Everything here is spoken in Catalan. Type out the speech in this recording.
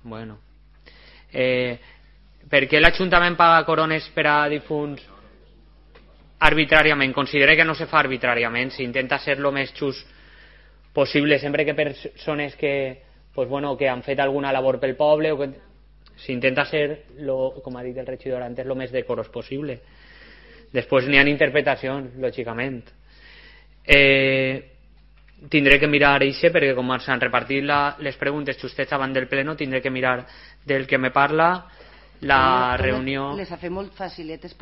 Bueno. Per què l'Ajuntament paga corones per a difunts arbitràriament? Considera que no se fa arbitràriament, s'intenta ser lo més just possible, sempre que persones que, pues bueno, que han fet alguna labor pel poble, o que s'intenta ser, com ha dit el regidor antes, lo més decorós possible. Després n'hi ha interpretacions, lògicament. Tindré que mirar això, perquè com s'han repartit les preguntes justets abans del pleno, tindré que mirar del que me parla la reunió. Les ha fet molt faciletes per